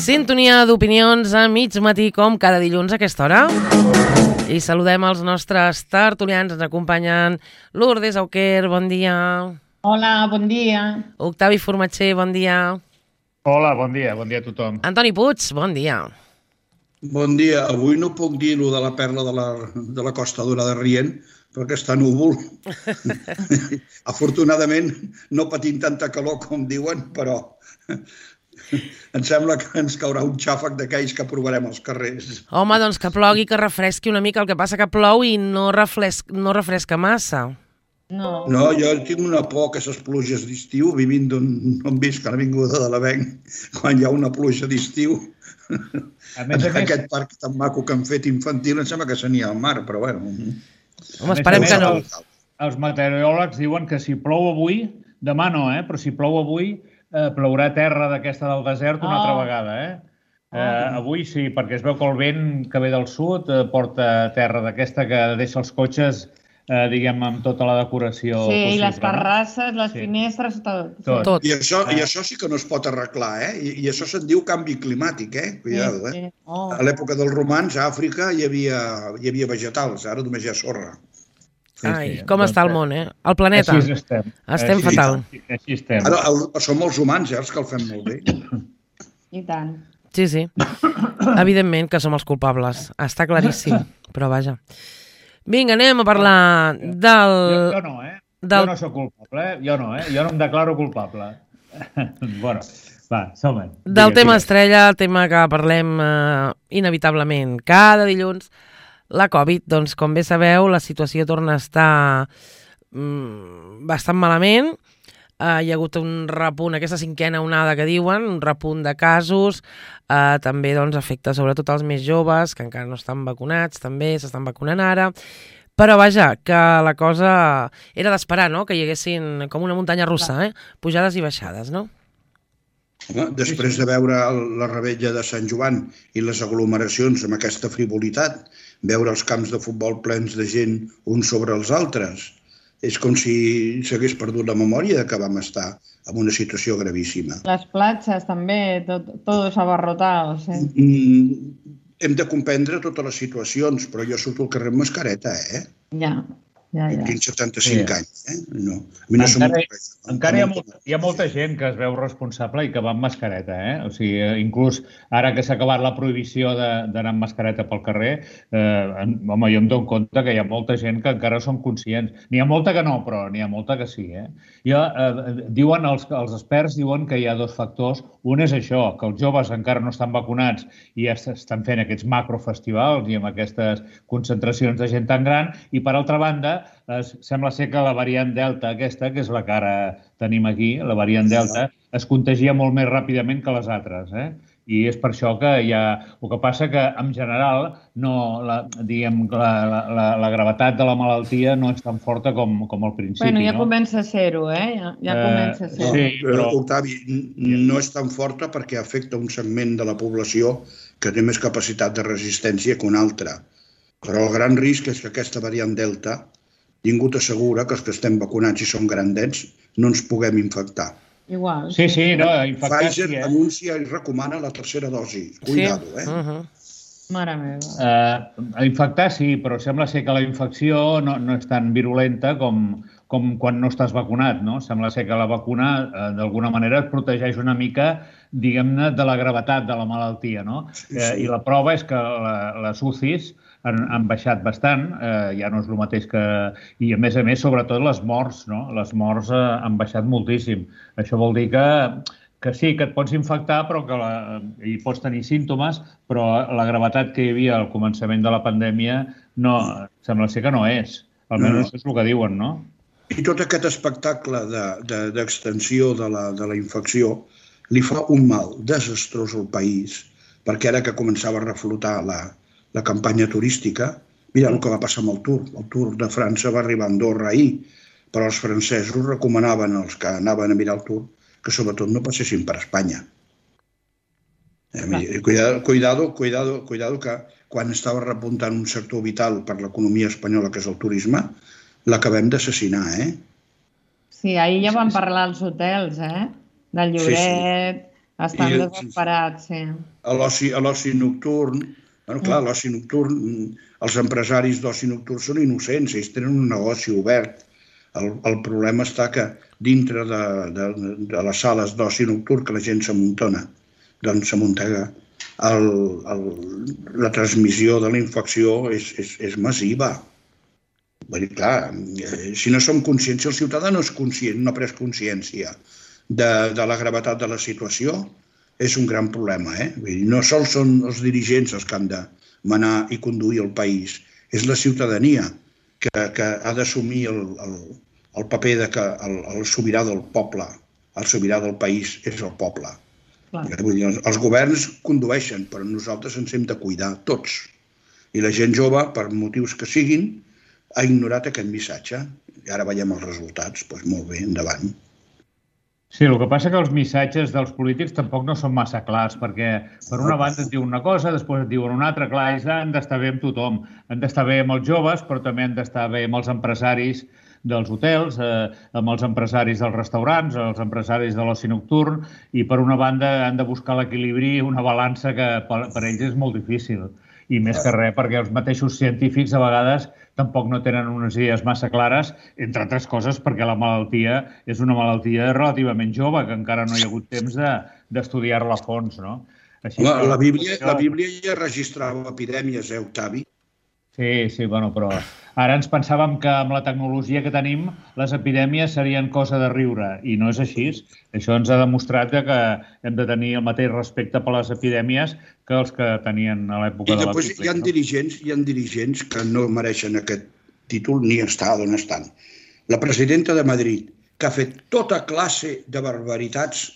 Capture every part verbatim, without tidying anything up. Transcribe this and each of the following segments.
Sintonia d'opinions a mig matí, com cada dilluns a aquesta hora. I saludem els nostres tertulians. Ens acompanyen Lourdes Auquer, bon dia. Hola, bon dia. Octavi Formatxer, bon dia. Hola, bon dia, bon dia a tothom. Antoni Puig, bon dia. Bon dia. Avui no puc dir-ho de la perla de la, de la Costa Dorada rient, perquè està núvol. Afortunadament no patim tanta calor com diuen, però em sembla que ens caurà un xàfec d'aquells que provarem als carrers. Home, doncs que plogui, que refresqui una mica. El que passa que plou i no, refresc, no refresca massa. No. No, jo tinc una por que aquestes pluges d'estiu, vivint d'on visc a l'Avinguda de l'Avenc, quan hi ha una pluja d'estiu, A més a més, aquest parc tan maco que han fet infantil, em sembla que s'anirà al mar, però bueno. Home, esperem que no. els, els meteoròlegs diuen que si plou avui, demà no, eh? Però si plou avui, eh, plourà terra d'aquesta del desert una Oh. altra vegada, eh? Eh, avui sí, perquè es veu que el vent que ve del sud eh, porta terra d'aquesta que deixa els cotxes, eh, diguem, amb tota la decoració Sí, possible. i les terrasses, les Sí. finestres, tot. Tot. Tot. I això, I això sí que no es pot arreglar, eh? I, i això se'n diu canvi climàtic, eh? Cuidado, eh? Sí, sí. Oh. A l'època dels romans, a Àfrica, hi havia, hi havia vegetals, ara només hi ha sorra. Sí, Ai, sí. com està el món, eh? El planeta. Així estem. Estem Així- fatal. Així estem. Ara el, som els humans, eh, els que el fem molt bé. I tant. Sí, sí. Evidentment que som els culpables. Està claríssim, però vaja. Vinga, anem a parlar del... Jo, jo no, eh? del- Jo no sóc culpable, eh? Jo no, eh? Jo no em declaro culpable. Bueno, va, som-hi. Del tema estrella, el tema que parlem eh, inevitablement cada dilluns, la Covid. Doncs, com bé sabeu, la situació torna a estar mm, bastant malament. Uh, hi ha hagut un repunt, aquesta cinquena onada que diuen, un repunt de casos, uh, també doncs, afecta sobretot els més joves, que encara no estan vacunats, també s'estan vacunant ara, però vaja, que la cosa era d'esperar, no?, que hi haguessin com una muntanya russa, eh? Pujades i baixades, no? Home, després de veure la rebella de Sant Joan i les aglomeracions amb aquesta frivolitat, veure els camps de futbol plens de gent uns sobre els altres, és com si s'hagués perdut la memòria de que vam estar en una situació gravíssima. Les platges també, tot, todos abarrotados. Eh? Mm, hem de comprendre totes les situacions, però jo surto al carrer amb mascareta, eh? Ja, ja, ja. Tinc setanta-cinc Sí. anys, eh? No. A mi no se Encara, m'ocorre. encara hi ha, molta, hi ha molta gent que es veu responsable i que va amb mascareta, eh? O sigui, inclús ara que s'ha acabat la prohibició d'anar amb mascareta pel carrer, eh, home, jo em dono compte que hi ha molta gent que encara són conscients. N'hi ha molta que no, però n'hi ha molta que sí, eh? Jo, eh, diuen els, els experts diuen que hi ha dos factors. Un és això, que els joves encara no estan vacunats i ja estan fent aquests macrofestivals i amb aquestes concentracions de gent tan gran, i per altra banda, eh, sembla ser que la variant Delta aquesta, que és la que ara tenim aquí, la variant Delta, es contagia molt més ràpidament que les altres, eh? I és per això que hi ha... El que passa que, en general, no, la, diguem, la, la, la gravetat de la malaltia no és tan forta com, com al principi. Bueno, ja no? comença a ser-ho, eh? Ja, ja Eh, comença a ser-ho. sí. però- Octavi, no és tan forta perquè afecta un segment de la població que té més capacitat de resistència que un altre. Però el gran risc és que aquesta variant Delta ningú t'assegura que els que estem vacunats i som grandets no ens puguem infectar. Igual. Sí, sí, no, infectar Pfizer sí, eh? anuncia i recomana la tercera dosi. Cuidado, eh? Uh -huh. Mare meva. Uh, infectar sí, però sembla ser que la infecció no, no és tan virulenta com, com quan no estàs vacunat, no? Sembla ser que la vacuna, uh, d'alguna manera, et protegeix una mica, diguem-ne, de la gravetat de la malaltia, no? Sí, Eh, sí. I la prova és que la, les U C Is han, han baixat bastant, eh, ja no és el mateix que... I, a més a més, sobretot les morts, no? Les morts eh, han baixat moltíssim. Això vol dir que, que sí, que et pots infectar, però que la, i pots tenir símptomes, però la gravetat que hi havia al començament de la pandèmia no, sembla ser que no és. Almenys No. això és el que diuen, no? I tot aquest espectacle d'extensió de, de, de, la, de la infecció li fa un mal desastrós al país, perquè ara que començava a reflotar la, la campanya turística, mira el que va passar amb el Tour. El Tour de França va arribar a Andorra ahir, però els francesos recomanaven als que anaven a mirar el Tour que sobretot no passessin per Espanya. Eh, cuidado, cuidado, cuidado, cuidado que quan estava repuntant un sector vital per l'economia espanyola, que és el turisme, l'acabem d'assassinar, eh? Sí, ahir ja vam parlar als hotels, eh? Del Lloret, Estan desesperats, sí. A l'oci nocturn, bueno, clar, l'oci nocturn, els empresaris d'oci nocturn són innocents, ells tenen un negoci obert. El, el problema està que dintre de, de, de les sales d'oci nocturn que la gent s'amuntona, doncs s'amuntega, el, el, la transmissió de la infecció és, és, és massiva. Vull dir, clar, si no som conscients, si el ciutadà no és conscient, no ha pres consciència de, de la gravetat de la situació, és un gran problema. Eh? Vull dir, no sols són els dirigents els que han de manar i conduir el país, és la ciutadania que, que ha d'assumir el, el, el paper de que el, el sobirà del poble, el sobirà del país és el poble. Vull dir, els governs condueixen, però nosaltres ens hem de cuidar tots. I la gent jove, per motius que siguin, ha ignorat aquest missatge. I ara veiem els resultats. Doncs molt bé, endavant. Sí, el que passa que els missatges dels polítics tampoc no són massa clars, perquè per una banda et diuen una cosa, després et diuen una altra. Clar, ells han d'estar bé amb tothom. Han d'estar bé amb els joves, però també han d'estar bé amb els empresaris dels hotels, eh, amb els empresaris dels restaurants, els empresaris de l'oci nocturn, i per una banda han de buscar l'equilibri, una balança que per, per ells és molt difícil. I més que res, perquè els mateixos científics a vegades tampoc no tenen unes idees massa clares, entre altres coses perquè la malaltia és una malaltia relativament jove, que encara no hi ha hagut temps d'estudiar-la a fons, no? Així la, la, Bíblia, la Bíblia ja registrava epidèmies, eh, Octavi? Sí, sí, bueno, però ara ens pensàvem que amb la tecnologia que tenim les epidèmies serien cosa de riure, i no és així. Això ens ha demostrat que hem de tenir el mateix respecte per les epidèmies que els que tenien a l'època de la Bíblia. I després hi ha dirigents, hi ha dirigents que no mereixen aquest títol ni estar on estan. La presidenta de Madrid, que ha fet tota classe de barbaritats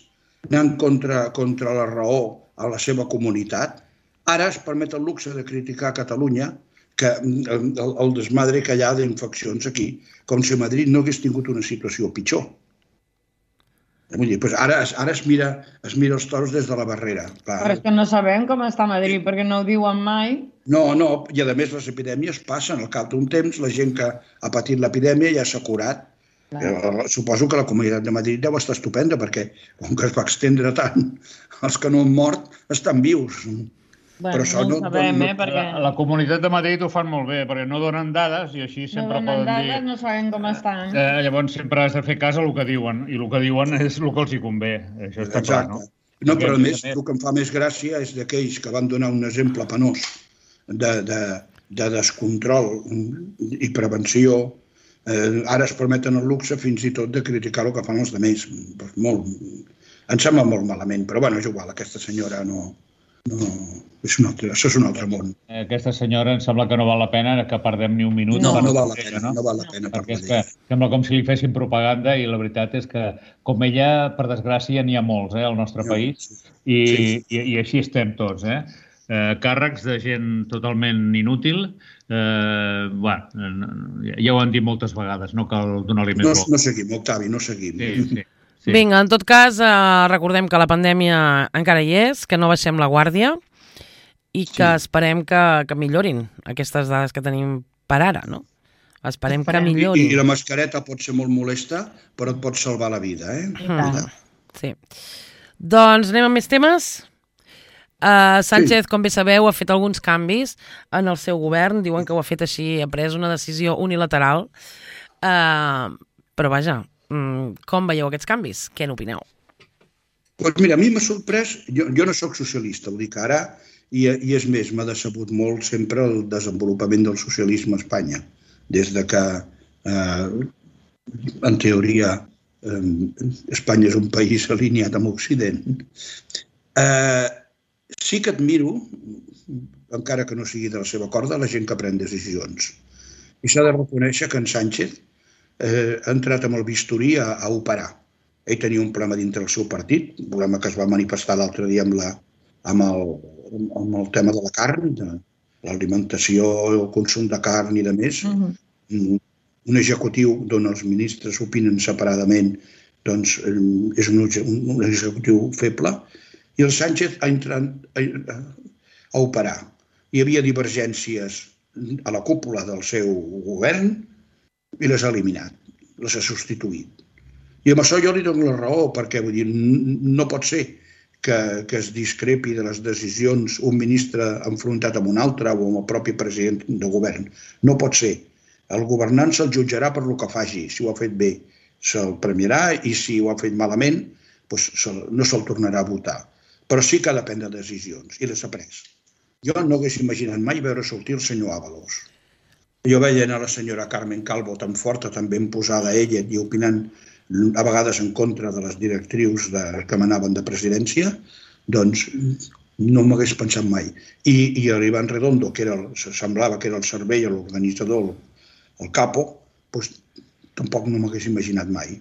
anant contra, contra la raó a la seva comunitat, ara es permet el luxe de criticar Catalunya, que el, el desmadre que hi ha d'infeccions aquí, com si Madrid no hagués tingut una situació pitjor. Vull dir, doncs ara, ara es, mira, es mira els toros des de la barrera. Clar. Però és que no sabem com està Madrid, perquè no ho diuen mai. No, no, i a més les epidèmies passen. Al cap d'un temps, la gent que ha patit l'epidèmia ja s'ha curat. Clar. Suposo que la Comunitat de Madrid deu estar estupenda, perquè com que es va extendre tant, els que no han mort estan vius. Bueno, però no ho sabem, eh, perquè... La, la Comunitat de Madrid ho fan molt bé, perquè no donen dades i així sempre no poden dades, dir... No sabem com estan. Eh, llavors sempre has de fer cas a el que diuen, i el que diuen és el que els hi convé. Això està clar, no? No, però a més, el que em fa més gràcia és d'aquells que van donar un exemple penós de, de, de descontrol i prevenció. Eh, ara es permeten el luxe fins i tot de criticar el que fan els altres. Pues molt, em sembla molt malament, però bueno, és igual, aquesta senyora no... No, és un altre, això és un altre món. Aquesta senyora em sembla que no val la pena que perdem ni un minut. No, no val la pena, no? no val la pena. Perquè és que sembla com si li fessin propaganda i la veritat és que, com ella, per desgràcia, n'hi ha molts eh, al nostre no, país i, sí. i, i així estem tots. Eh? Eh, càrrecs de gent totalment inútil. Eh, bueno, ja ho han dit moltes vegades, no cal donar-li més no, volta. No seguim, Octavi, no seguim. Sí, sí. Sí. Vinga, en tot cas, eh, recordem que la pandèmia encara hi és, que no baixem la guàrdia i que sí. esperem que, que millorin aquestes dades que tenim per ara, no? Esperem, esperem. que millorin. I, I la mascareta pot ser molt molesta, però et pot salvar la vida, eh? Mm. Sí. Doncs anem amb més temes. Uh, Sánchez, sí. com bé sabeu, ha fet alguns canvis en el seu govern. Diuen que ho ha fet així, ha pres una decisió unilateral. Uh, però vaja, com veieu aquests canvis? Què n'opineu? Doncs mira, a mi m'ha sorprès, jo, jo no sóc socialista, ho dic ara, i, i és més, m'ha decebut molt sempre el desenvolupament del socialisme a Espanya, des de que, eh, en teoria, eh, Espanya és un país alineat amb Occident. Eh, sí que admiro, encara que no sigui de la seva corda, la gent que pren decisions. I s'ha de reconèixer que en Sánchez Eh, ha entrat amb el bisturí a, a operar. Ell tenia un problema dintre del seu partit, un problema que es va manifestar l'altre dia amb, la, amb, el, amb el tema de la carn, de l'alimentació, el consum de carn i de més. Uh-huh. un, un executiu d'on els ministres opinen separadament doncs, és un, un executiu feble, i el Sánchez ha entrat a, a operar. Hi havia divergències a la cúpula del seu govern, i les ha eliminat, les ha substituït. I amb això jo li dono la raó, perquè vull dir, no pot ser que, que es discrepi de les decisions un ministre enfrontat amb un altre o amb el propi president de govern. No pot ser. El governant se'l jutjarà per el que faci. Si ho ha fet bé, se'l premiarà, i si ho ha fet malament, doncs no se'l tornarà a votar. Però sí que ha de prendre decisions, i les ha pres. Jo no hagués imaginat mai veure sortir el senyor Ábalos. Jo veia a la senyora Carmen Calvo tan forta, tan ben posada ella, i opinant a vegades en contra de les directrius que manaven de presidència, doncs no m'hagués pensat mai. I l'Iván Redondo, que semblava que era el cervell, l'organitzador, el capo, doncs tampoc no m'hagués imaginat mai.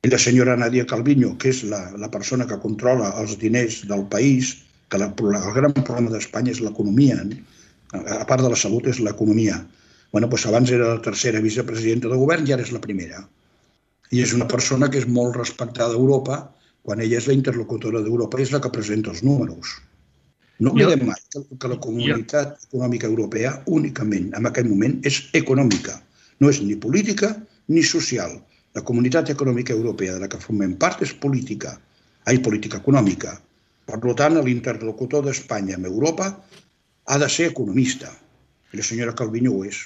I la senyora Nadia Calviño, que és la persona que controla els diners del país, que el gran problema d'Espanya és l'economia, a part de la salut és l'economia. Abans era la tercera vicepresidenta de govern i ara és la primera. I és una persona que és molt respectada a Europa, quan ella és la interlocutora d'Europa i és la que presenta els números. No oblidem mai que la comunitat econòmica europea únicament en aquest moment és econòmica. No és ni política ni social. La comunitat econòmica europea de la que formem part és política, ai, política econòmica. Per tant, l'interlocutor d'Espanya amb Europa ha de ser economista. I la senyora Calviño ho és.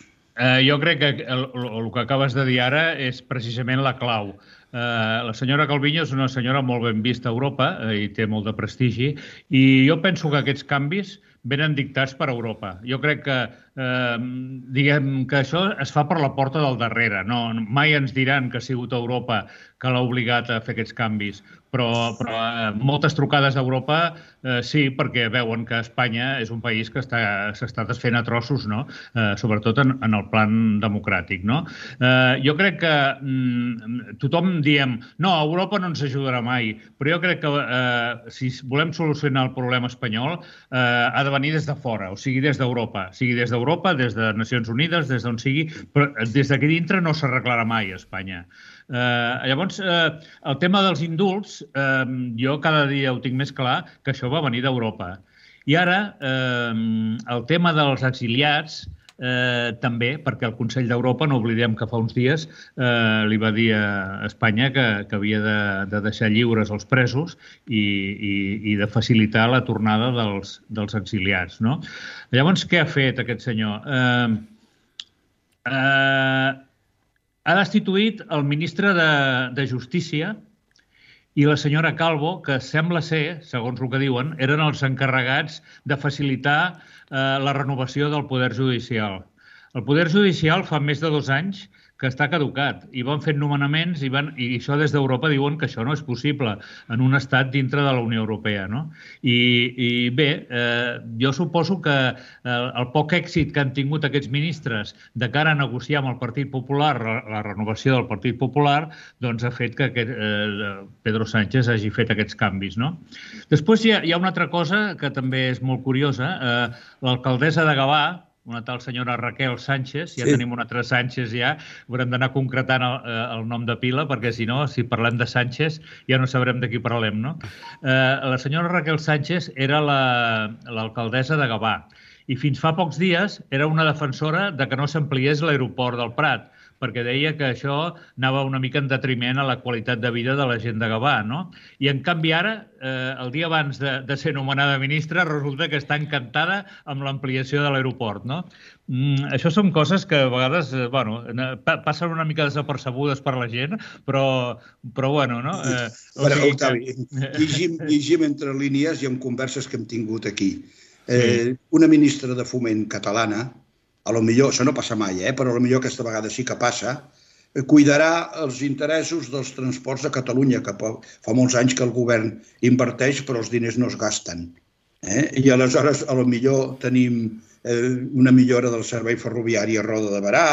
Jo crec que el que acabes de dir ara és precisament la clau. La senyora Calviño és una senyora molt ben vista a Europa i té molt de prestigi, i jo penso que aquests canvis venen dictats per Europa. Jo crec que, diguem, que això es fa per la porta del darrere. Mai ens diran que ha sigut Europa que l'ha obligat a fer aquests canvis, però moltes trucades d'Europa sí, perquè veuen que Espanya és un país que s'està desfent a trossos, sobretot en el plan democràtic. Jo crec que tothom diem, no, Europa no ens ajudarà mai, però jo crec que si volem solucionar el problema espanyol ha de venir des de fora, o sigui, des d'Europa. O sigui, des d'Europa, des de Nacions Unides, des d'on sigui, però des d'aquí dintre no s'arreglarà mai a Espanya. Llavors, el tema dels indults, jo cada dia ho tinc més clar que això va venir d'Europa. I ara, el tema dels exiliats, també, perquè el Consell d'Europa, no oblidem que fa uns dies li va dir a Espanya que havia de deixar lliures els presos i de facilitar la tornada dels exiliats. Llavors, què ha fet aquest senyor? Ha destituït el ministre de Justícia i la senyora Calvo, que sembla ser, segons el que diuen, eren els encarregats de facilitar la renovació del Poder Judicial. El Poder Judicial fa més de dos anys que està caducat i van fent nomenaments i això des d'Europa diuen que això no és possible en un estat dintre de la Unió Europea. I bé, jo suposo que el poc èxit que han tingut aquests ministres de cara a negociar amb el Partit Popular la renovació del Partit Popular doncs ha fet que Pedro Sánchez hagi fet aquests canvis. Després hi ha una altra cosa que també és molt curiosa. L'alcaldessa de Gavà, una tal senyora Raquel Sánchez, ja tenim una altra Sánchez ja, haurem d'anar concretant el nom de pila, perquè si no, si parlem de Sánchez, ja no sabrem de qui parlem, no? La senyora Raquel Sánchez era l'alcaldessa de Gavà i fins fa pocs dies era una defensora de que no s'ampliés l'aeroport del Prat, perquè deia que això anava una mica en detriment a la qualitat de vida de la gent de Gavà, no? I en canvi ara, el dia abans de ser nomenada ministra, resulta que està encantada amb l'ampliació de l'aeroport, no? Això són coses que a vegades, bueno, passen una mica desapercebudes per la gent, però, bueno, no? Octavi, llegim entre línies i en converses que hem tingut aquí. Una ministra de Foment catalana, a lo millor, això no passa mai, però a lo millor aquesta vegada sí que passa, cuidarà els interessos dels transports a Catalunya, que fa molts anys que el govern inverteix, però els diners no es gasten. I aleshores, a lo millor tenim una millora del servei ferroviari a Roda de Berà,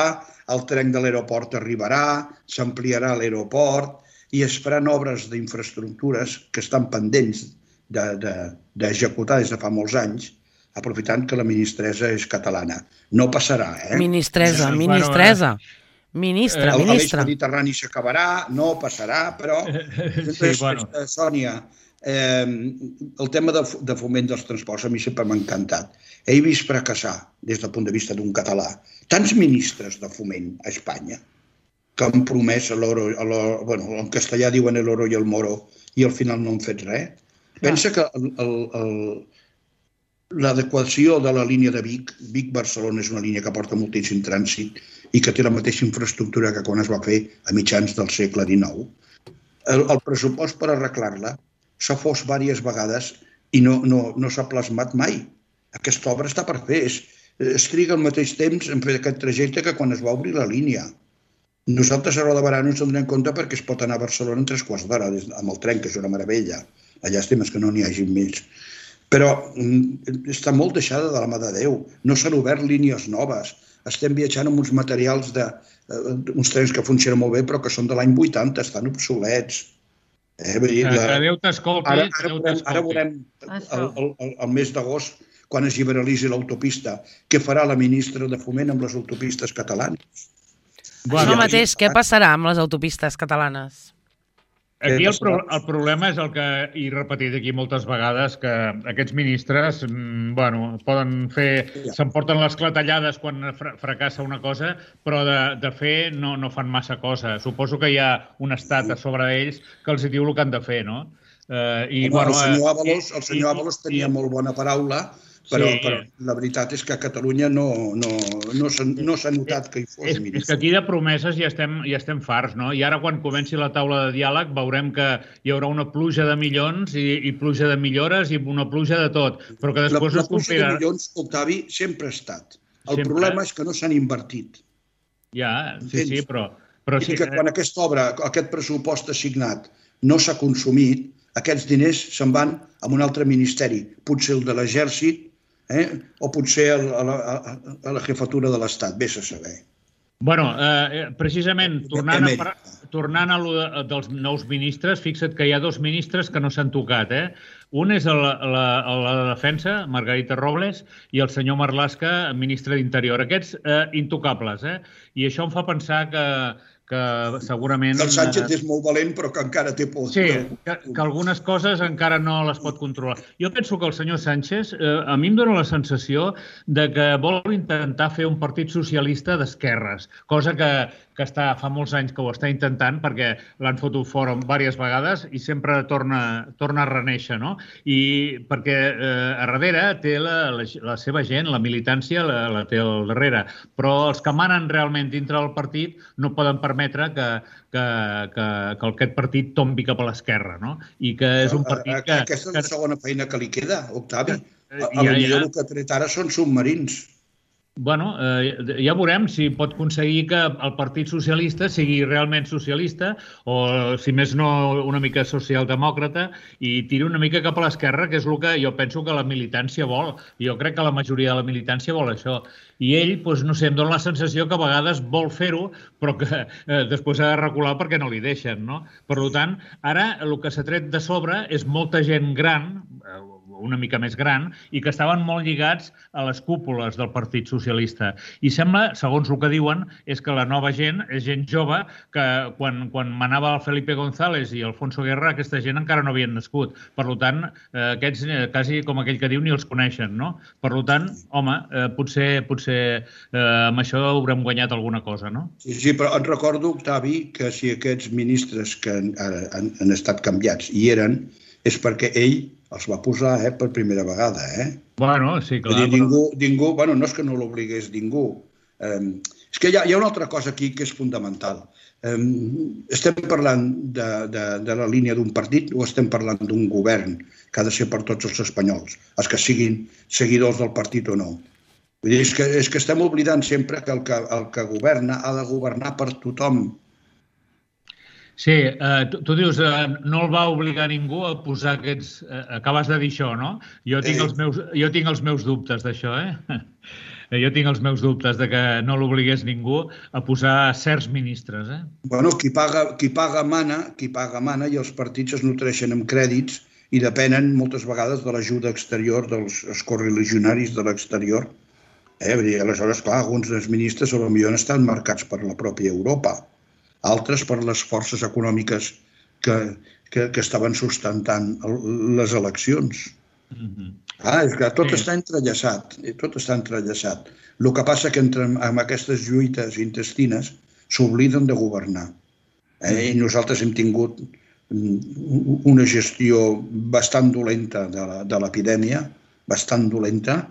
el tren de l'aeroport arribarà, s'ampliarà l'aeroport i es faran obres d'infraestructures que estan pendents d'executar des de fa molts anys, aprofitant que la ministressa és catalana. No passarà, eh? Ministresa, ministresa. Ministra, ministra. L'Eix Mediterrani s'acabarà, no passarà, però... Sònia, el tema de foment dels transports a mi sempre m'ha encantat. He vist fracassar, des del punt de vista d'un català, tants ministres de foment a Espanya que han promès l'oro, bueno, en castellà diuen l'oro i el moro, i al final no han fet res. Pensa que l'adequació de la línia de Vic, Vic-Barcelona és una línia que porta moltíssim trànsit i que té la mateixa infraestructura que quan es va fer a mitjans del segle dinou. El, el pressupost per arreglar-la s'ha fos diverses vegades i no, no, no s'ha plasmat mai. Aquesta obra està per fer. Es, es triga al mateix temps en fer aquest trajecte que quan es va obrir la línia. Nosaltres a Roda de Barà no ens en donem compte perquè es pot anar a Barcelona en tres quarts d'hora amb el tren, que és una meravella. La llàstima és que no n'hi hagi més. Però està molt deixada de la mà de Déu. No s'han obert línies noves. Estem viatjant amb uns materials de uns trens que funcionen molt bé, però que són de l'any vuitanta, estan obsolets. Eh, dir, que la... Déu t'escolti. Ara, ara, veurem, ara veurem el, el, el, el mes d'agost, quan es liberalitzi l'autopista, què farà la ministra de Foment amb les autopistes catalanes? Bueno, això mateix, què passarà amb les autopistes catalanes? Aquí el, pro el problema és el que he repetit aquí moltes vegades, que aquests ministres bueno, poden fer, s'emporten les clatellades quan fr fracassa una cosa, però de, de fer no, no fan massa cosa. Suposo que hi ha un estat a sobre d'ells que els diu el que han de fer, no? Eh, i, Home, bueno, el senyor Ábalos, el senyor Ábalos tenia i, molt bona paraula, però, sí. però la veritat és que a Catalunya no, no, no s'ha no notat que hi fos és, ministre. És que aquí de promeses ja estem, ja estem farts, no? I ara quan comenci la taula de diàleg veurem que hi haurà una pluja de milions i, i pluja de millores i una pluja de tot, però que després la, la es complirà. La pluja de milions, Octavi, sempre ha estat. El sempre. problema és que no s'han invertit. Ja, sí, sí, però... però I sí, que quan aquesta obra, aquest pressupost assignat no s'ha consumit, aquests diners se'n van a un altre ministeri, potser el de l'Exèrcit, Eh? o potser a la, a, a la jefatura de l'Estat, vés a saber. Bueno, eh, precisament, tornant a, tornant a lo de, dels nous ministres, fixa't que hi ha dos ministres que no s'han tocat. Eh? Un és la, la, la defensa, Margarita Robles, i el senyor Marlaska, ministre d'Interior. Aquests eh, intocables. Eh? I això em fa pensar que... que segurament... El Sánchez és molt valent, però que encara té por. Sí, que, que algunes coses encara no les pot controlar. Jo penso que el senyor Sánchez, eh, a mi em dóna la sensació de que vol intentar fer un partit socialista d'esquerres, cosa que, que està, fa molts anys que ho està intentant, perquè l'han fotut fora diverses vegades i sempre torna, torna a reneixer, no? I perquè eh, a darrere té la, la, la seva gent, la militància la, la té al darrere, però els que manen realment dintre del partit no poden permetre que, que, que, que aquest partit tombi cap a l'esquerra, no? I que és un partit que... Aquesta és la segona feina que li queda, Octavi. A, a ja, ja. El que ha tret ara són submarins. Bueno, eh, ja veurem si pot aconseguir que el Partit Socialista sigui realment socialista o, si més no, una mica socialdemòcrata i tiri una mica cap a l'esquerra, que és el que jo penso que la militància vol. Jo crec que la majoria de la militància vol això. I ell, doncs, no sé, em dóna la sensació que a vegades vol fer-ho, però que eh, després ha de recular perquè no li deixen, no? Per tant, ara el que s'ha tret de sobre és molta gent gran, eh, una mica més gran, i que estaven molt lligats a les cúpules del Partit Socialista. I sembla, segons el que diuen, és que la nova gent és gent jove que quan, quan manava el Felipe González i Alfonso Guerra, aquesta gent encara no havien nascut. Per tant, eh, aquests, eh, quasi com aquell que diu, ni els coneixen, no? Per tant, home, eh, potser, potser eh, amb això haurem guanyat alguna cosa, no? Sí, sí, però et recordo, Octavi, que si aquests ministres que han, han, han estat canviats hi eren, és perquè ell els va posar eh, per primera vegada. Eh? Bueno, sí, clar. Dir, ningú, però... ningú, bueno, no és que no l'obligués ningú. Eh, és que hi ha, hi ha una altra cosa aquí que és fundamental. Eh, estem parlant de, de, de la línia d'un partit o estem parlant d'un govern que ha de ser per tots els espanyols, els que siguin seguidors del partit o no. Vull dir, és, que, és que estem oblidant sempre que el, que el que governa ha de governar per tothom. Sí, eh, tu, tu dius, eh, no el va obligar ningú a posar aquests... Eh, acabes de dir això, no? Jo tinc els meus, jo tinc els meus dubtes d'això, eh? Jo tinc els meus dubtes de que no l'obligués ningú a posar certs ministres, eh? Bueno, qui paga, qui paga mana, qui paga mana, i els partits es nutreixen amb crèdits i depenen moltes vegades de l'ajuda exterior dels correligionaris de l'exterior. Eh? Aleshores, clar, alguns dels ministres potser han estat marcats per la pròpia Europa, altres per les forces econòmiques que, que, que estaven sustentant les eleccions. Mm-hmm. Ah, és que tot sí. està entrellaçat, tot està entrellaçat. El que passa que entre, amb aquestes lluites intestines s'obliden de governar. Eh? I nosaltres hem tingut una gestió bastant dolenta de l'epidèmia, bastant dolenta.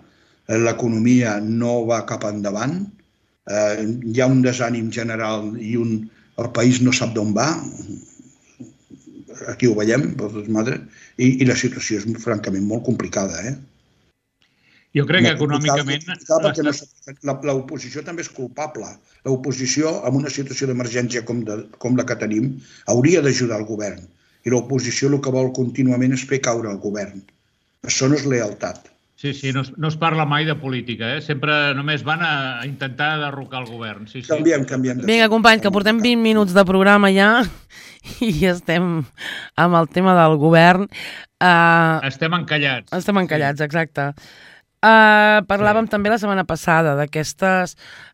L'economia no va cap endavant. Hi ha un desànim general i el país no sap d'on va. Aquí ho veiem, i la situació és francament molt complicada. Jo crec que econòmicament... L'oposició també és culpable. L'oposició, en una situació d'emergència com la que tenim, hauria d'ajudar el govern. I l'oposició el que vol contínuament és fer caure el govern. Això no és lealtat. Sí, sí, no es parla mai de política, eh? Sempre només van a intentar derrocar el govern. Canviem, canviem. Vinga, company, que portem vint minuts de programa ja i estem amb el tema del govern. Estem encallats. Estem encallats, exacte. Uh, parlàvem sí. també la setmana passada d'aquestes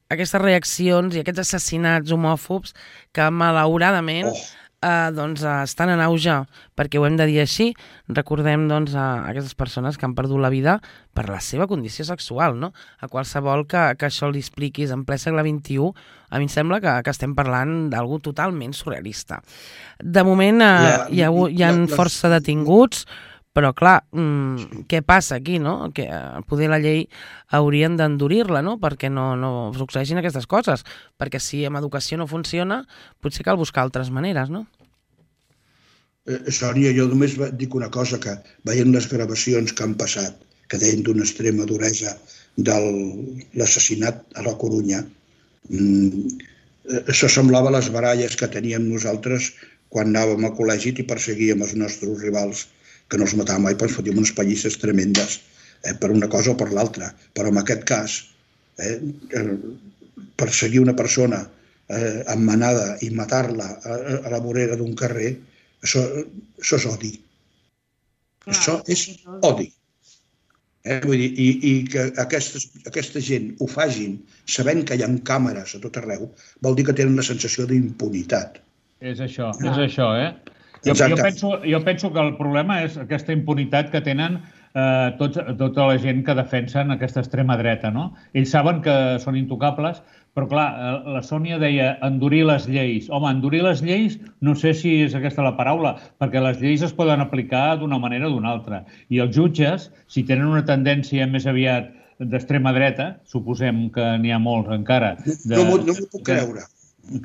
aquestes reaccions i aquests assassinats homòfobs que malauradament oh. uh, doncs, uh, estan en auge, perquè ho hem de dir així. Recordem doncs, a aquestes persones que han perdut la vida per la seva condició sexual, no? A qualsevol que, que això li expliquis en ple segle vint-i-u, a mi em sembla que, que estem parlant d'algú totalment surrealista. De moment uh, ja, hi ha, hi ha ja, força detinguts, però, clar, mmm, què passa aquí, no? Que poder la llei haurien d'endurir-la, no? Perquè no, no succeeixin aquestes coses. Perquè si amb educació no funciona, potser cal buscar altres maneres, no? Eh, Sònia, jo només dic una cosa, que veient les gravacions que han passat, que deien d'una extrema duresa de l'assassinat a la Corunya, mmm, això semblava les baralles que teníem nosaltres quan anàvem al col·legi i perseguíem els nostres rivals, que no els matàvem mai, però ens fotíem unes pallisses tremendes eh, per una cosa o per l'altra. Però en aquest cas, eh, perseguir una persona eh, en manada i matar-la a, a la vorera d'un carrer, això, això és odi. Clar, això és odi. Eh, vull dir, i, i que aquestes, aquesta gent ho fagin sabent que hi ha càmeres a tot arreu, vol dir que tenen la sensació d'impunitat. És això, ah. és això, eh? Jo, jo, penso, jo penso que el problema és aquesta impunitat que tenen eh, tots, tota la gent que defensen aquesta extrema dreta, no? Ells saben que són intocables, però clar, la Sònia deia endurir les lleis. Home, endurir les lleis no sé si és aquesta la paraula, perquè les lleis es poden aplicar d'una manera o d'una altra. I els jutges, si tenen una tendència més aviat d'extrema dreta, suposem que n'hi ha molts encara... De, no m'ho puc creure.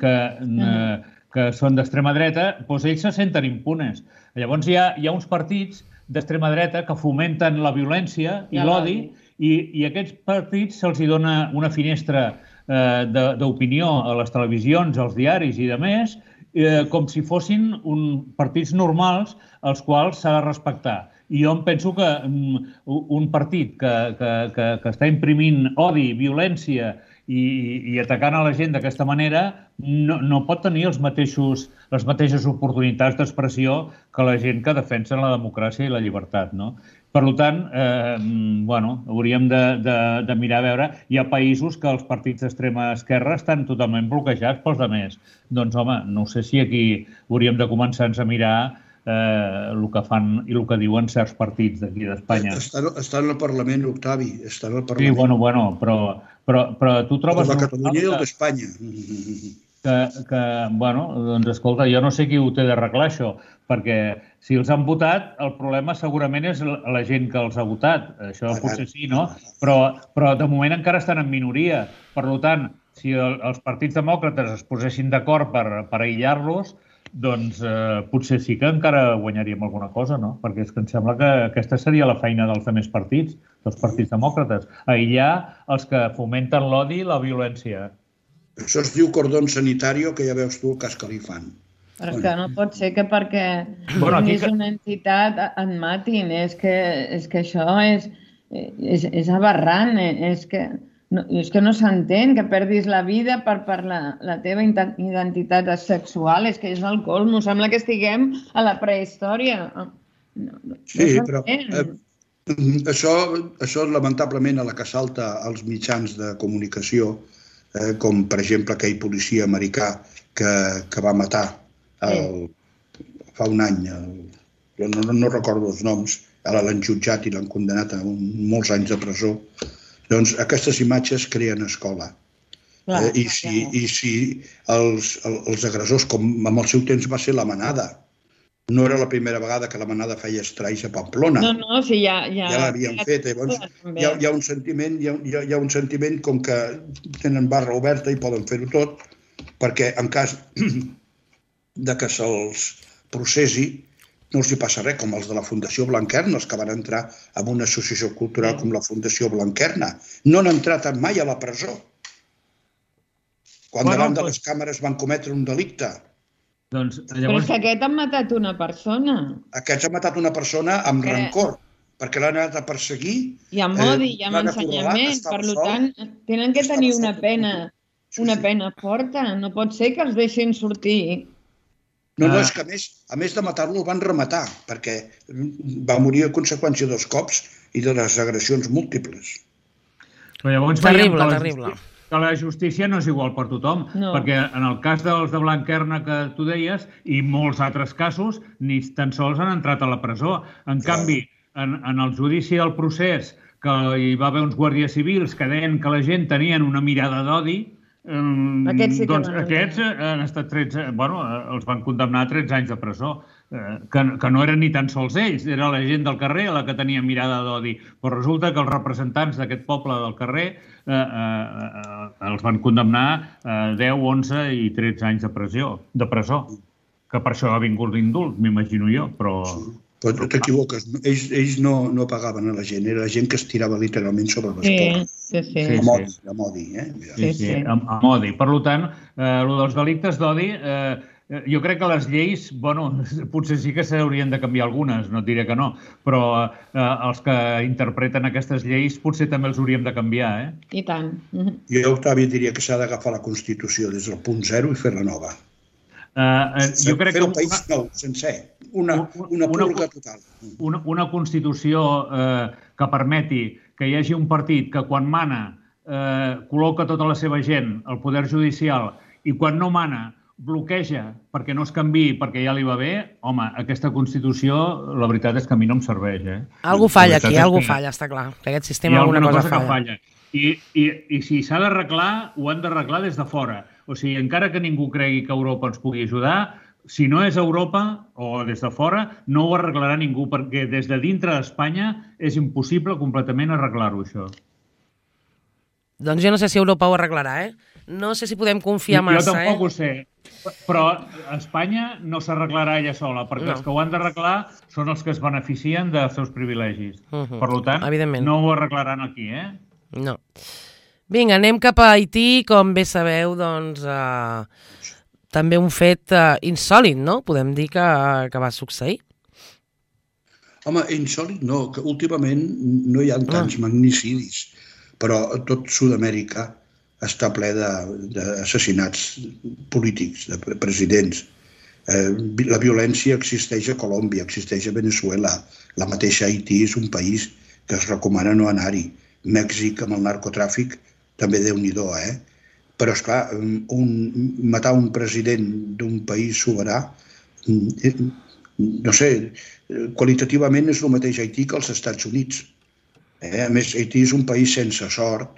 Que... Eh, que són d'extrema dreta, doncs ells se senten impunes. Llavors hi ha, hi ha uns partits d'extrema dreta que fomenten la violència i ja l'odi, i, i a aquests partits se'ls dona una finestra eh, d'opinió a les televisions, als diaris i de més, eh, com si fossin un, partits normals als quals s'ha de respectar. I jo em penso que um, un partit que, que, que, que està imprimint odi, violència, I, i atacant a la gent d'aquesta manera no, no pot tenir els mateixos, les mateixes oportunitats d'expressió que la gent que defensa la democràcia i la llibertat, no? Per tant, eh, bueno, hauríem de, de, de mirar a veure, hi ha països que els partits d'extrema esquerra estan totalment bloquejats pels altres. Doncs, home, no sé si aquí hauríem de començar a mirar eh, el que fan i el que diuen certs partits d'aquí d'Espanya. Estan, estan al Parlament, Octavi, estan al Parlament. Sí, bueno, bueno, però, però, però tu trobes... De Catalunya i el d'Espanya. Que, que, bueno, doncs escolta, jo no sé qui ho té d'arreglar això, perquè si els han votat, el problema segurament és la gent que els ha votat. Això potser sí, no? Però, però de moment encara estan en minoria. Per tant, si el, els partits demòcrates es posessin d'acord per, per aïllar-los, doncs eh, potser sí que encara guanyaríem alguna cosa, no? Perquè és que em sembla que aquesta seria la feina dels altres partits, dels partits demòcrates, aïllar els que fomenten l'odi i la violència. Això es diu cordó sanitari, que ja veus tu el cas que li fan. Però és que no pot ser que perquè bueno, tinguis que... una entitat et matin. És que, és que això és, és, és aberrant. És que no, és que no s'entén que perdis la vida per, per la, la teva identitat sexual. És que és el colmo. Sembla que estiguem a la prehistòria. No, no, sí, no però eh, això, això lamentablement a la que salta als mitjans de comunicació, eh, com per exemple aquell policia americà que, que va matar el, fa un any, el, no, no, no recordo els noms, ara l'han jutjat i l'han condenat a un, molts anys de presó. Doncs aquestes imatges creen escola. Clar, eh, I si, i si els, els agressors, com en el seu temps va ser la manada, no era la primera vegada que la manada feia estralls a Pamplona. No, no, sí, ja... Ja, ja l'havien fet. Llavors, hi ha, hi, ha un sentiment, hi, ha, hi ha un sentiment com que tenen barra oberta i poden fer-ho tot, perquè en cas de que se'ls processi no els hi passa res, com els de la Fundació Blanquerna, els que van entrar en una associació cultural com la Fundació Blanquerna. No han entrat mai a la presó. Quan davant de les càmeres van cometre un delicte. Doncs, llavors... Però és que aquest han matat una persona. Aquests han matat una persona amb que... rancor, perquè l'han anat a perseguir. I amb odi, i amb ensenyament. Per tant, tenen que tenir una pena, una pena forta. No pot ser que els deixin sortir. No, no, és que a més, a més de matar-lo el van rematar, perquè va morir a conseqüència dels cops i de les agressions múltiples. Però llavors veiem que la, que la justícia no és igual per tothom, no. Perquè en el cas dels de Blanquerna que tu deies, i molts altres casos, ni tan sols han entrat a la presó. En Clar. canvi, en, en el judici del procés, que hi va haver uns guàrdies civils que deien que la gent tenien una mirada d'odi, Um, aquests sí que doncs van aquests han estat tretze, bueno, els van condemnar a tretze anys de presó, eh, que, que no eren ni tan sols ells, era la gent del carrer la que tenia mirada d'odi, però resulta que els representants d'aquest poble del carrer eh, eh, eh, els van condemnar a eh, deu, onze i tretze anys de presó, de presó, que per això ha vingut l'indult, m'imagino jo, però... Però t'equivoques, ells, ells no, no pagaven a la gent, era la gent que es tirava literalment sobre les portes. Sí, sí, sí. Amb odi, amb odi, eh? Sí, sí, amb, amb odi. Per tant, eh, el dels delictes d'odi, eh, jo crec que les lleis, bueno, potser sí que s'haurien de canviar algunes, no et diré que no, però eh, els que interpreten aquestes lleis potser també els hauríem de canviar, eh? I tant. Jo, Octavi, diria que s'ha d'agafar la Constitució des del punt zero i fer-la nova. Uh, jo crec fer que un país una, nou, sencer, una, una purga total. Una, una Constitució eh, que permeti que hi hagi un partit que quan mana eh, col·loca tota la seva gent al poder judicial i quan no mana bloqueja perquè no es canviï, perquè ja li va bé, home, aquesta Constitució, la veritat és que a mi no em serveix. Eh? Algú falla aquí, algú falla, està clar. Que aquest sistema alguna cosa, cosa falla. I, i, I si s'ha d'arreglar, ho han d'arreglar des de fora. O sigui, encara que ningú cregui que Europa ens pugui ajudar, si no és Europa o des de fora, no ho arreglarà ningú, perquè des de dintre d'Espanya és impossible completament arreglar-ho, això. Doncs jo no sé si Europa ho arreglarà, eh? No sé si podem confiar massa, eh? Jo tampoc ho sé, però Espanya no s'arreglarà ella sola, perquè no. Els que ho han d'arreglar són els que es beneficien dels seus privilegis. Uh -huh. Per tant, no ho arreglaran aquí, eh? No. Vinga, anem cap a Haití, com bé sabeu, doncs, eh, també un fet eh, insòlit, no? Podem dir que, que va succeir. Home, insòlit no, que últimament no hi ha tants ah. magnicidis, però tot Sud-amèrica està ple d'assassinats polítics, de presidents. Eh, la violència existeix a Colòmbia, existeix a Venezuela, la mateixa Haití és un país que es recomana no anar-hi. Mèxic amb el narcotràfic també déu-n'hi-do, eh? Però, esclar, un, matar un president d'un país soberà, no sé, qualitativament és el mateix Haití que els Estats Units. Eh? A més, Haití és un país sense sort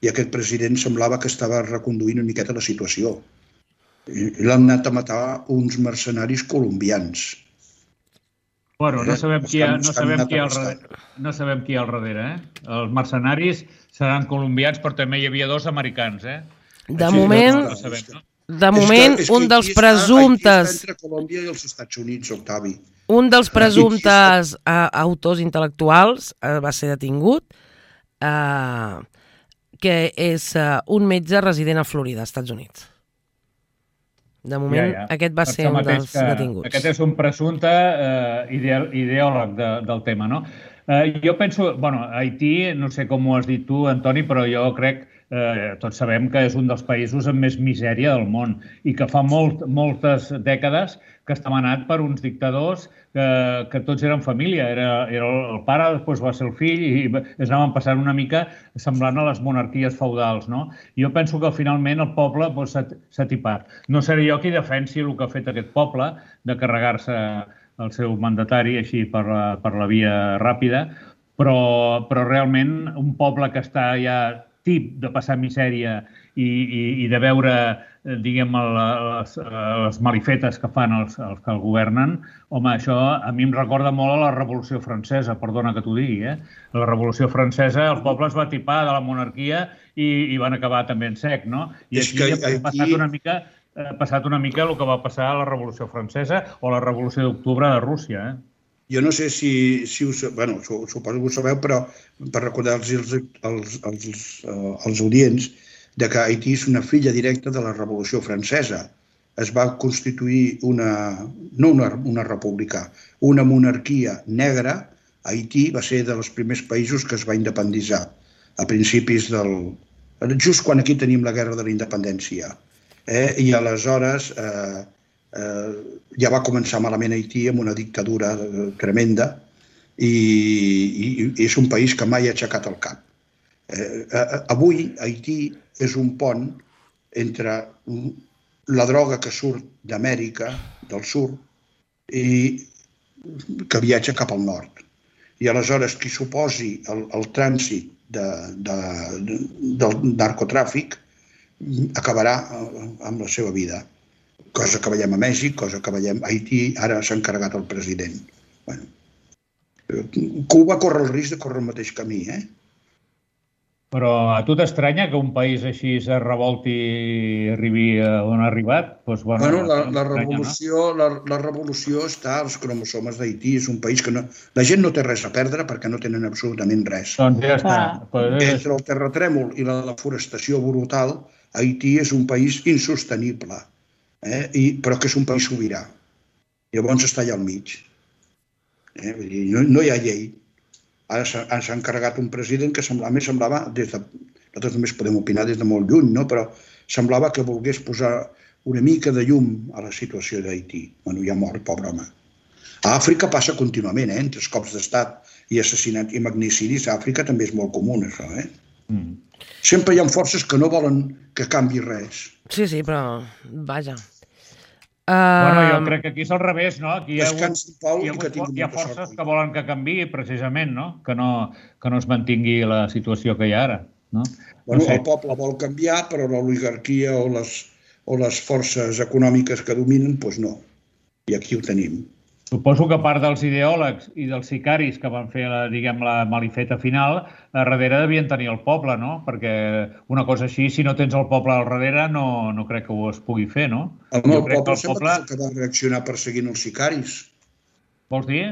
i aquest president semblava que estava reconduint una miqueta la situació. L'han anat a matar uns mercenaris colombians. Bueno, no sabem qui hi ha, no sabem qui hi ha al darrere, no sabem qui hi ha al darrere, eh? Els mercenaris seran colombians, però també hi havia dos americans, eh? De moment, de moment, un dels presumptes... Entre Colòmbia i els Estats Units, Octavi. Un dels presumptes autors intel·lectuals va ser detingut, que és un metge resident a Florida, Estats Units. De moment, ja, ja. aquest va ser un dels detinguts. Aquest és un presumpte eh, ideòleg de, del tema, no? Eh, jo penso, bueno, Haití, no sé com ho has dit tu, Antoni, però jo crec, eh, tots sabem que és un dels països amb més misèria del món i que fa molt, moltes dècades que està manat per uns dictadors que, que tots eren família. Era, era el pare, després va ser el fill i es anaven passant una mica semblant a les monarquies feudals, no? Jo penso que finalment el poble doncs, s'ha tipat. No seré jo qui defensi el que ha fet aquest poble de carregar-se el seu mandatari així per la, per la via ràpida, però, però realment un poble que està ja tip de passar misèria i, i, i de veure, diguem, les, les malifetes que fan els, els que el governen, home, això a mi em recorda molt a la Revolució Francesa, perdona que t'ho digui, eh? La Revolució Francesa, el poble es va tipar de la monarquia i, i van acabar també en sec, no? I aquí ha passat una mica, ha passat una mica el que va passar a la Revolució Francesa o a la Revolució d'Octubre de Rússia, eh? Jo no sé si, si us... Bueno, suposo que ho sabeu, però per recordar-los als, als, als, als audients de que Haití és una filla directa de la Revolució Francesa. Es va constituir una... no una, una república, una monarquia negra. Haití va ser dels primers països que es va independitzar a principis del... just quan aquí tenim la Guerra de la Independència. Eh? I aleshores... Eh, Eh, ja va començar malament Haití amb una dictadura tremenda i, i, i és un país que mai ha aixecat el cap. Eh, avui Haití és un pont entre la droga que surt d'Amèrica del Sud i que viatja cap al nord. I aleshores qui s'oposi al, al trànsit de, de, de, del narcotràfic acabarà amb la seva vida. Cosa que veiem a Mèxic, cosa que veiem a Haití, ara s'ha encarregat el president. Bueno, Cuba corre el risc de córrer el mateix camí, eh? Però a tu t'estranya que un país així es revolti i arribi on ha arribat? Doncs, bueno, bueno, la, la, revolució, no? la, la revolució està als cromosomes d'Haití. És un país que no, la gent no té res a perdre perquè no tenen absolutament res. Doncs ja està. Ah. Entre el terratrèmol i la deforestació brutal, Haití és un país insostenible. Eh? I, però que és un país sobirà. Llavors està allà al mig. Eh? Vull dir, no, no hi ha llei. Ara s'ha encarregat un president que semblava, a més semblava, des de, nosaltres només podem opinar des de molt lluny, no? Però semblava que volgués posar una mica de llum a la situació d'Haití. Bueno, ja mort, pobre home. A Àfrica passa contínuament, eh? Entre els cops d'estat i assassinats i magnicidis, a Àfrica també és molt comú, això, eh? Mm. Sempre hi ha forces que no volen que canvi res. Sí, sí, però vaja. Uh... Bueno, jo crec que aquí és al revés, no? Aquí hi ha, Descans, Pau, hi ha, que hi ha forces sort. Que volen que canviï, precisament, no? Que no, que no es mantingui la situació que hi ha ara, no? Bueno, no sé. El poble vol canviar, però l'oligarquia o les, o les forces econòmiques que dominen, doncs no. I aquí ho tenim. Suposo que a part dels ideòlegs i dels sicaris que van fer, la, diguem, la malifeta final, a darrere devien tenir el poble, no? Perquè una cosa així, si no tens el poble al darrere, no, no crec que ho es pugui fer, no? El meu poble el sembla poble... que va reaccionar perseguint els sicaris. Vols dir?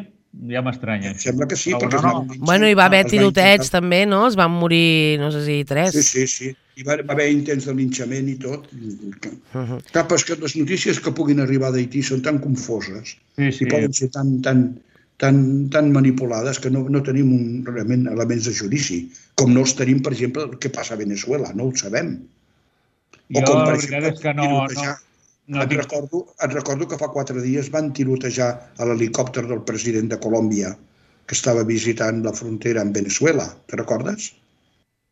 Ja m'estranya. Sembla que sí, perquè... No, no. Bueno, hi va haver tirotets també, no? Es van morir, no sé si tres. Sí, sí, sí. Hi va haver intents de linxament i tot. Uh-huh. Cap és que les notícies que puguin arribar d'Haití són tan confoses sí, sí. i poden ser tan, tan, tan, tan manipulades que no, no tenim un, realment elements de judici. Com no els tenim, per exemple, el que passa a Venezuela. No ho sabem. Jo, o com, per exemple, és que no... no... No et, recordo, et recordo que fa quatre dies van tirotejar a l'helicòpter del president de Colòmbia que estava visitant la frontera amb Venezuela. Te recordes?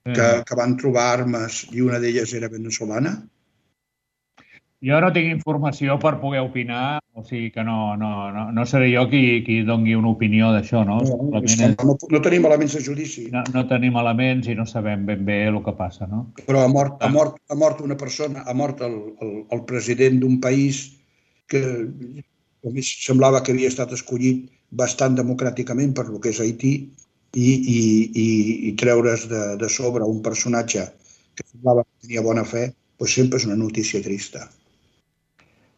Mm. Que, que van trobar armes i una d'elles era venezolana. Jo no tinc informació per poder opinar, o sigui que no, no, no, no seré jo qui, qui doni una opinió d'això, no? No, no, no tenim elements de judici. No, no tenim elements i no sabem ben bé el que passa, no? Però ha mort, ha mort, ha mort una persona, ha mort el, el, el president d'un país que a més semblava que havia estat escollit bastant democràticament per el que és Haití i, i, i, i treure's de, de sobre un personatge que semblava que tenia bona fe, doncs sempre és una notícia trista.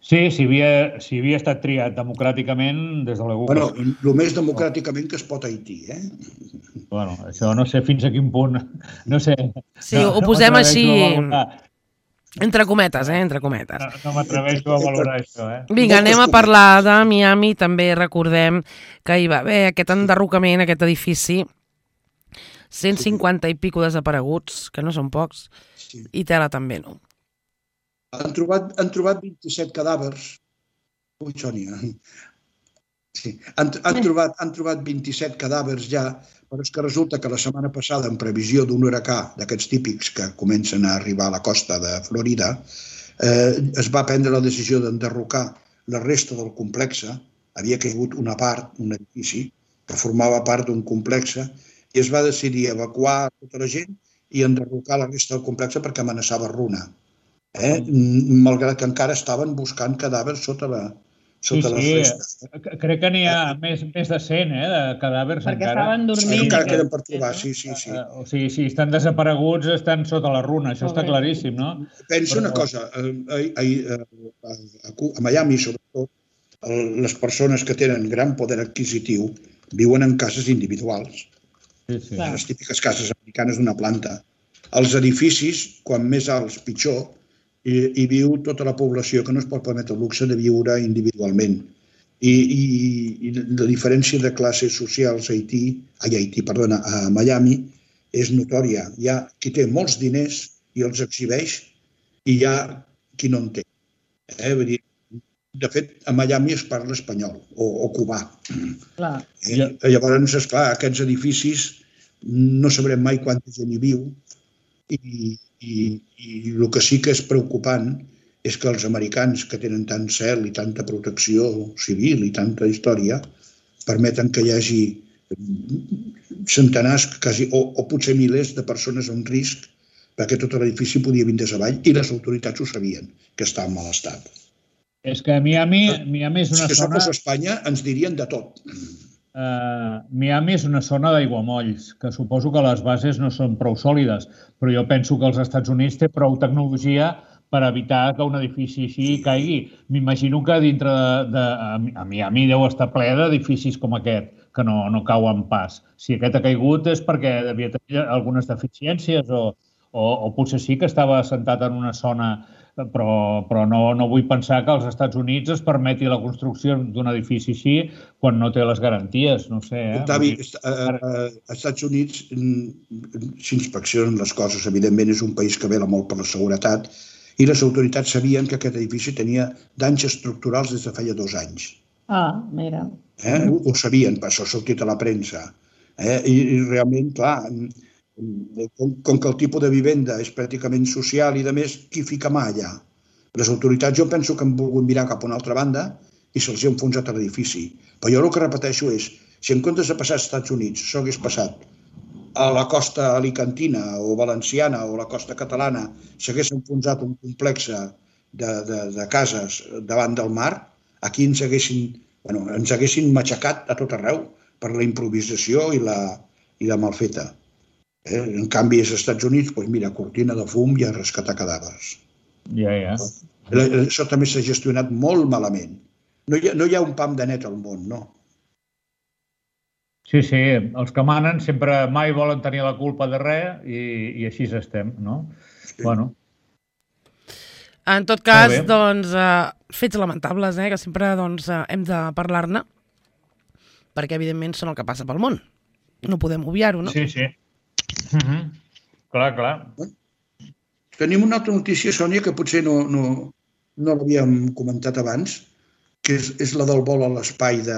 Sí, si havia, si havia estat triat democràticament, des de l'E U. Bueno, el més democràticament que es pot a Haití, eh? Bueno, això no sé fins a quin punt, no sé. Sí, no, ho posem no així, entre cometes, eh, entre cometes. No, no m'atreveixo a valorar això, eh? Vinga, anem a parlar de Miami, també recordem que hi va haver aquest enderrocament, aquest edifici, cent cinquanta i pico desapareguts, que no són pocs, i tela també, no? Han trobat, han trobat vint-i-set cadàvers. Ui, Sònia. Sí. Han, han, trobat, han trobat vint-i-set cadàvers ja, però és que resulta que la setmana passada, en previsió d'un huracà d'aquests típics que comencen a arribar a la costa de Florida, eh, es va prendre la decisió d'enderrocar la resta del complexe. Havia caigut una part, un edifici, que formava part d'un complexe, i es va decidir evacuar tota la gent i enderrocar la resta del complex perquè amenaçava runa. Eh? Malgrat que encara estaven buscant cadàvers sota la sota sí, sí. Crec que n'hi ha més, més de cent, eh, de cadàvers perquè encara. estaven dormint. Sí, encara queden per trobar, sí, sí, sí. O sigui, si estan desapareguts, estan sota la runa, això està claríssim, no? Penso una cosa, a, a, a, a Miami, sobretot, les persones que tenen gran poder adquisitiu viuen en cases individuals. Sí, sí. Les típiques cases americanes d'una planta. Els edificis, quan més alts, pitjor, i hi viu tota la població que no es pot permetre el luxe de viure individualment. I, i, i la diferència de classes socials a Haití, a Haití, perdona, a Miami és notòria. Hi ha qui té molts diners i els exhibeix i hi ha qui no en té. Eh? Vull dir, de fet, a Miami es parla espanyol o, o cubà. Clar. Eh? Llavors, esclar, aquests edificis no sabrem mai quanta gent hi viu i I, i el que sí que és preocupant és que els americans, que tenen tant cel i tanta protecció civil i tanta història, permeten que hi hagi centenars, quasi, o, o potser milers de persones en risc, perquè tot l'edifici podia vindre avall i les autoritats ho sabien, que està en mal estat. És que Miami, Miami és una si zona... Si fos Espanya, ens dirien de tot. Uh, Miami és una zona d'aiguamolls, que suposo que les bases no són prou sòlides, però jo penso que els Estats Units té prou tecnologia per evitar que un edifici així caigui. M'imagino que dintre de, de... A Miami deu estar ple d'edificis com aquest, que no, no cauen pas. Si aquest ha caigut és perquè devia tenir algunes deficiències o, o, o potser sí que estava assentat en una zona... però, però no, no vull pensar que als Estats Units es permeti la construcció d'un edifici així quan no té les garanties, no sé. Eh? Octavi, als Estats Units s'inspeccionen les coses, evidentment és un país que vela molt per la seguretat i les autoritats sabien que aquest edifici tenia danys estructurals des de feia dos anys. Ah, mira. Eh? Ho, ho sabien, per això ha sortit a la premsa. Eh? I, I realment, clar, Com, com que el tipus de vivenda és pràcticament social i, de més, qui fica mà allà? Les autoritats jo penso que han volgut mirar cap a una altra banda i se'ls ha enfonsat a l'edifici. Però jo el que repeteixo és, si en comptes de passar als Estats Units s'ho hagués passat a la costa alicantina o valenciana o la costa catalana, s'hagués enfonsat un complex de, de, de cases davant del mar, aquí ens haguessin, bueno, ens haguessin matxacat a tot arreu per la improvisació i la, i la malfeta. Eh? En canvi, als Estats Units, doncs mira, cortina de fum i a rescatar cadàvers. Ja, ja. Això també s'ha gestionat molt malament. No hi ha, no hi ha un pam de net al món, no. Sí, sí, els que manen sempre mai volen tenir la culpa de res i, i així estem, no? Sí. Bueno. En tot cas, doncs, uh, fets lamentables, eh, que sempre doncs, uh, hem de parlar-ne, perquè evidentment són el que passa pel món. No podem obviar-ho, no? Sí, sí. Uh-huh. Clar, clar. Tenim una altra notícia, Sònia, que potser no, no, no l'havíem comentat abans, que és, és la del vol a l'espai de,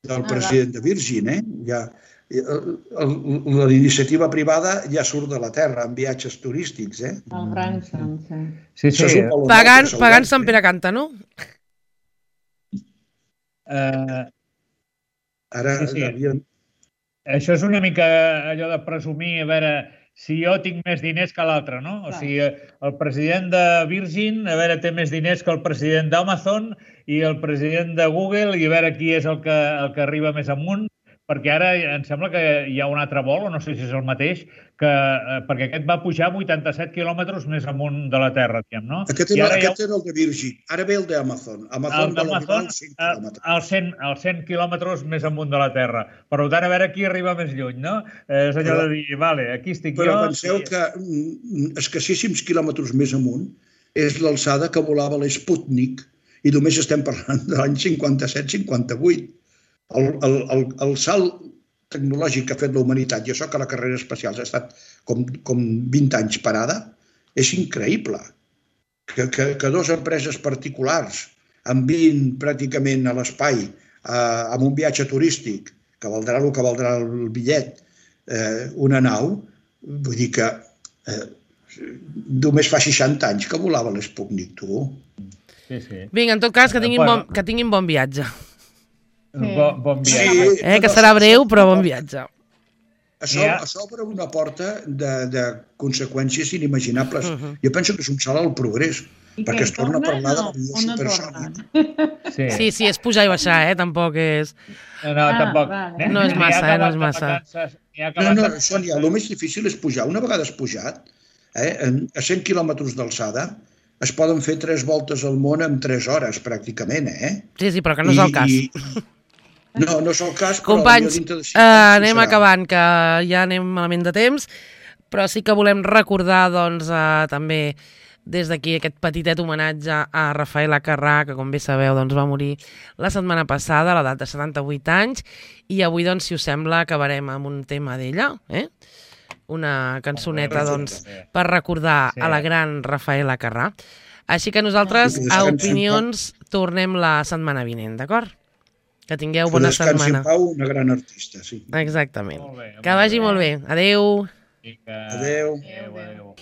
del president de Virgin. Eh? Ja, l'iniciativa privada ja surt de la Terra en viatges turístics. Eh? El Branson, sí. Sí, sí. Pagant, pagant Sant Pere Canta, no? Uh, Ara sí, sí. havíem... Això és una mica allò de presumir, a veure, si jo tinc més diners que l'altre, no? O sigui, el president de Virgin, a veure, té més diners que el president d'Amazon i el president de Google, i a veure qui és el que, el que arriba més amunt, perquè ara em sembla que hi ha un altre vol, o no sé si és el mateix, que, perquè aquest va pujar vuitanta-set quilòmetres més amunt de la Terra, diguem, no? Aquest, era, aquest ha... era el de Virgin, ara ve el d'Amazon. Amazon el d'Amazon, els cent, cent quilòmetres més amunt de la Terra. Per tant, a veure qui arriba més lluny, no? És allò però, de dir, vale, aquí estic però jo... Però penseu i... que escassíssims quilòmetres més amunt és l'alçada que volava l'Sputnik i només estem parlant de l'any cinquanta-set cinquanta-vuit. El, el, el, el salt tecnològic que ha fet la humanitat, i això que la carrera espacial ha estat com, com vint anys parada, és increïble. Que, que, que dues empreses particulars enviïn pràcticament a l'espai eh, amb un viatge turístic, que valdrà el que valdrà el bitllet, eh, una nau, vull dir que eh, només fa seixanta anys que volava l'Sputnik, tu. Sí, sí. Vinga, en tot cas, que tinguin, bon, que tinguin bon viatge. Sí. Bon, bon viatge. Sí, eh, que serà breu, però bon viatge. s'obre una porta de, de conseqüències inimaginables. Uh -huh. Jo penso que és un salt al progrés, I perquè es torna a parlar de l'avió no supersònic. Sí. sí, sí, és pujar i baixar, eh? Tampoc és... No, no, ah, tampoc. Vale. No és massa, eh? No és massa. No, no, Sònia, el més difícil és pujar. Una vegada has pujat, eh, a cent quilòmetres d'alçada, es poden fer tres voltes al món en tres hores, pràcticament, eh? Sí, sí, però que no és el cas. I, no, no és el cas, però... Companys, uh, anem serà. acabant, que ja anem malament de temps, però sí que volem recordar, doncs, uh, també des d'aquí aquest petitet homenatge a Rafael Acarrà, que com bé sabeu doncs, va morir la setmana passada a l'edat de setanta-vuit anys, i avui, doncs, si us sembla, acabarem amb un tema d'ella, eh? Una cançoneta, doncs, per recordar a la gran Rafael Acarrà. Així que nosaltres, a Opinions, tornem la setmana vinent, d'acord? Que tingueu bona setmana. Que descansi en pau, una gran artista, sí. Exactament. Que vagi molt bé. Adéu. Adéu. Adéu, adéu.